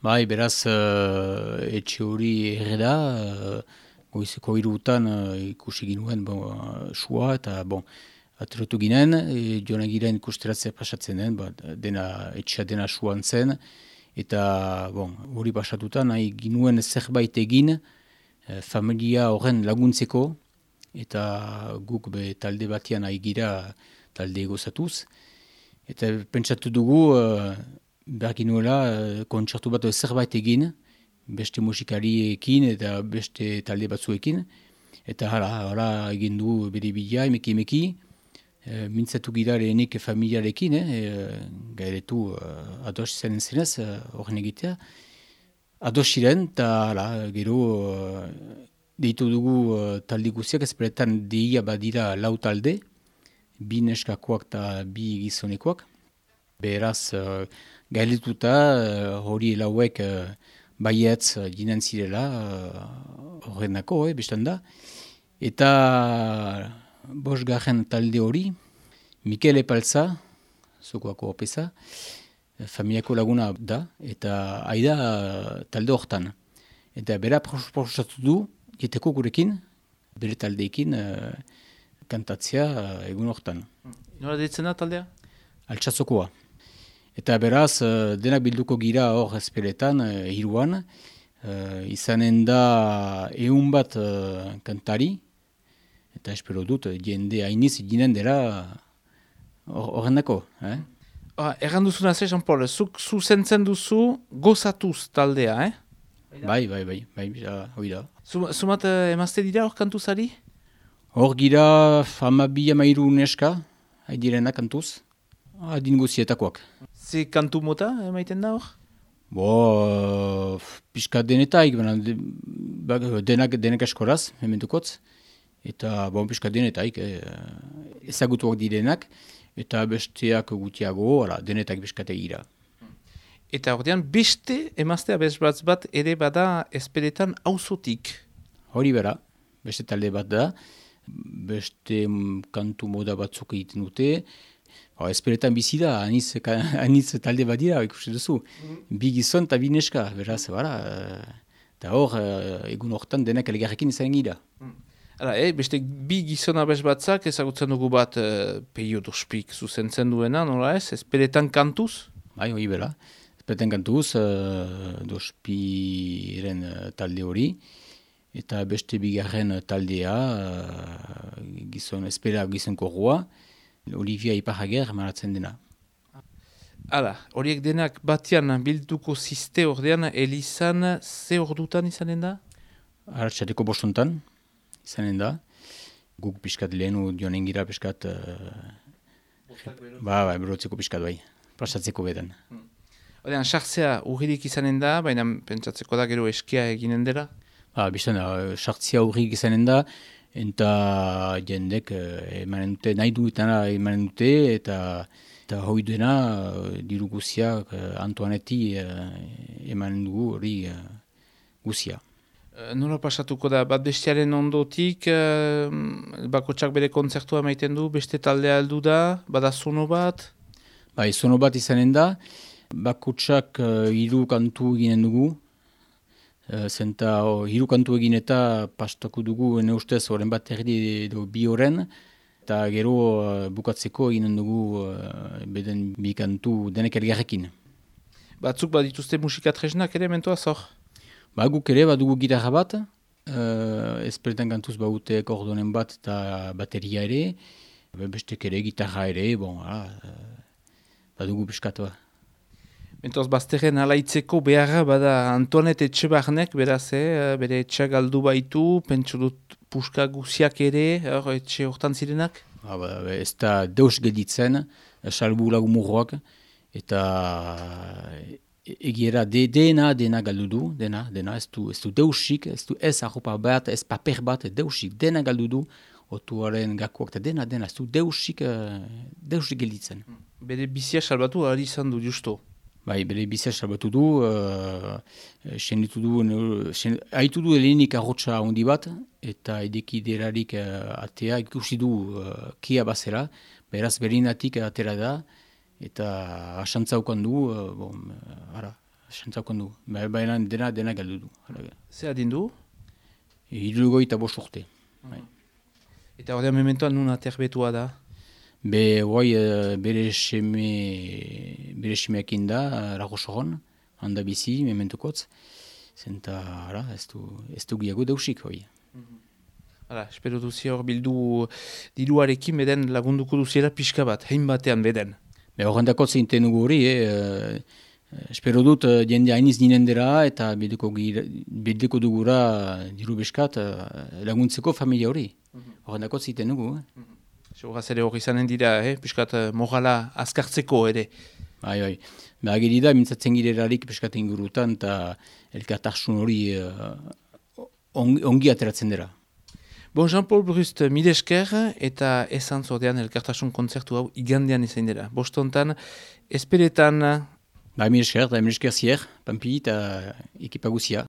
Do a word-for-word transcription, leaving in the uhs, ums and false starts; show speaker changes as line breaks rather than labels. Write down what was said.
Bai, beraz, uh, etxe hori erreda, uh, goizeko hirutan uh, ikusi ginuen bon, uh, sua, eta bon, atretu ginen, e, joan egiren ikusteratzea pasatzen den, ba, dena, etxea dena suan zen, eta bon, hori pasatuta nahi ginuen zerbait egin, uh, familia horren laguntzeko, eta guk be talde batian nahi gira talde egozatuz, eta pentsatu dugu, uh, behar ginuela, uh, kontzertu bat zerbait egin, beste musikariekin eta beste talde batzuekin, eta hala, hala egin du bere bila, emeki emeki, e, mintzatu gira lehenik familiarekin, eh, e, gairetu uh, ados zen zenez, horren uh, egitea, ados ziren, eta hala, gero, uh, deitu dugu uh, talde guziak, ezperetan deia badira lau talde, bi neskakoak eta bi gizonekoak, beraz, uh, gailetuta, uh, hori lauek, uh, baietz ginen zirela, horrenako, uh, eh, bestan da. Eta bosgarren talde hori, Mikel Epaltza, zokoako opeza, familiako laguna da, eta aida talde hortan. Eta bera proposatu du, jeteko gurekin, bere taldeekin, uh, kantatzea uh, egun hortan.
Nola deitzen da taldea?
Altsazokoa. Eta beraz, denak bilduko gira hor ezpeletan, hiruan, uh, izanen da ehun bat uh, kantari, eta espero dut, jende hainiz ginen dela horrendako. Eh?
Ah, erran duzuna ze, Jean-Paul, zuk zuzentzen duzu gozatuz taldea, eh?
Bai, bai, bai, bai, hoi da.
Zumat emazte dira hor kantuzari?
Hor gira hamabi hamairu neska, haidilena kantuz, adin guzietakoak.
Ze kantu mota emaiten da hor?
Bo, uh, pixka denetaik, de, denak, denak eskoraz, hementukotz, eta bon, pixka denetaik, eh, ezagutuak direnak, eta besteak gutiago, ala, denetak pixkate gira.
Eta ordean, beste emaztea bezbatz bat ere bada ezpeletan auzotik.
Hori bera, beste talde bat da, beste kantu moda batzuk egiten dute, Ba, ezperetan bizi da, aniz, aniz talde bat dira, ikusi duzu. Mm-hmm. Bi gizon eta bi neska, beraz, bara. Eta hor, egun hortan denak elgarrekin izan gira.
Mm. Hala, eh, beste bi gizon abez batzak ezagutzen dugu bat uh, peio dospik zuzentzen duena, nola ez? Ezperetan kantuz?
Bai, hori bera. Ezperetan kantuz, uh, dospiren uh, talde hori. Eta beste bigarren taldea, uh, gizon, ezpera gizon korroa. Olivia Iparrager maratzen dena.
Hala, horiek denak batian bilduko ziste ordean, Elizan ze ordutan izanen da?
Arratxateko bostuntan izanen da. Guk piskat lehenu dionen gira piskat... Uh, ba, ba, berotzeko piskat bai. Plasatzeko beden.
Hmm. Ordean, sartzea urririk izanen da, baina pentsatzeko da gero eskia eginen dela?
Ba, biztan da, sartzea urrik izanen da, eta jendek emanen dute, nahi du eta emanen dute, eta, eta hoi dena diru guziak Antoaneti emanen dugu hori guzia.
Nola pasatuko da, bat bestiaren ondotik, bakotsak bere kontzertua maiten du, beste taldea heldu da, bada zono bat?
Bai, zono bat izanen da, bakotsak hiru kantu ginen dugu, zenta uh, hiru kantu egin eta pastako dugu ene ustez horren bat erdi edo bi horren, eta gero uh, bukatzeko eginen dugu uh, beden bi kantu denek elgarrekin.
Batzuk badituzte musikatresnak ere mentoaz hor?
Ba, guk ere badugu gitarra bat, uh, ezperetan kantuz baute kordonen bat eta bateria ere, bestek ere gitarra ere, bon, ala, uh, badugu piskatoa.
Mentoz, bazterren alaitzeko beharra bada Antoanet Etxebarnek, beraz, eh, bere etxea galdu baitu, pentsu dut puska guziak ere, or, etxe hortan zirenak?
Ba, ba, ez da deus gelditzen, salbu lagumurroak, eta egiera de, dena, dena galdu du, dena, dena, ez du, ez du deusik, ez du ez arropa bat, ez paper bat, deusik, dena galdu du, otuaren gakoak, eta dena, dena, ez du deusik, deusik gelditzen.
Bere bizia salbatu ari izan du justo?
Bai, bere bizia salbatu du, uh, senditu du, sen, haitu du helenik arrotsa handi bat, eta edeki derarik uh, atea ikusi du uh, kia bazera, beraz berinatik atera da, eta asantzaukan du, uh, bon, uh, ara, sentzakon du. Baina dena, dena galdu du.
Zer adindu?
Hirurogoi eta bost urte. Bai.
Eta ordean mementoan nun aterbetua da?
Be, guai, bere seme, bere semeakin da, Lagosoron, handa bizi, mementukotz. Zenta, ara, ez du, ez du giago dausik, hoi.
Hala, espero duzi hor bildu diruarekin beden lagunduko duziela pixka bat, hein batean beden.
Be, horrendako zeinten dugu hori, eh, espero dut jende hainiz ninen dira eta bedeko, bedeko dugura diru beskat laguntzeko familia hori. Horrendako zeinten dugu. Eh?
Horaz ere hori izanen dira, eh? Piskat morala azkartzeko ere.
Bai, bai. Ba, ageri da, mintzatzen girerarik piskat ingurutan eta elkartasun hori uh, on, ongi ateratzen dira.
Bon, Jean-Paul Brust, mide esker eta esan zordean elkartasun kontzertu hau igandean izan dira. Bostontan, esperetan...
Ba, mide esker, eta mide esker zier, Pampi eta ekipa guzia.